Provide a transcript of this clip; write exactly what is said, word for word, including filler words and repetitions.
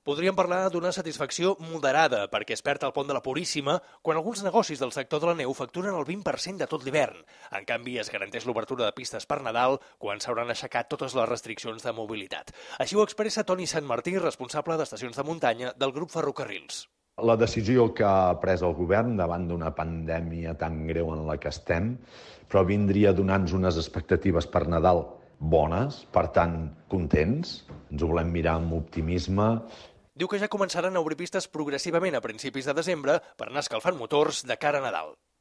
Podríem parlar d'una satisfacció moderada perquè es perd el pont de la Puríssima quan alguns negocis del sector de la neu facturen el vint per cent de tot l'hivern. En canvi, es garanteix l'obertura de pistes per Nadal quan s'hauran aixecat totes les restriccions de mobilitat. Així ho expressa Toni Santmartí, responsable d'estacions de muntanya del grup Ferrocarrils. La decisió que ha pres el govern davant d'una pandèmia tan greu en la que estem, però vindria donant-nos unes expectatives per Nadal bones, per tant, contents. Ens ho volem mirar amb optimisme. Diu que ja començaran a obrir pistes progressivament a principis de desembre per anar escalfant motors de cara a Nadal.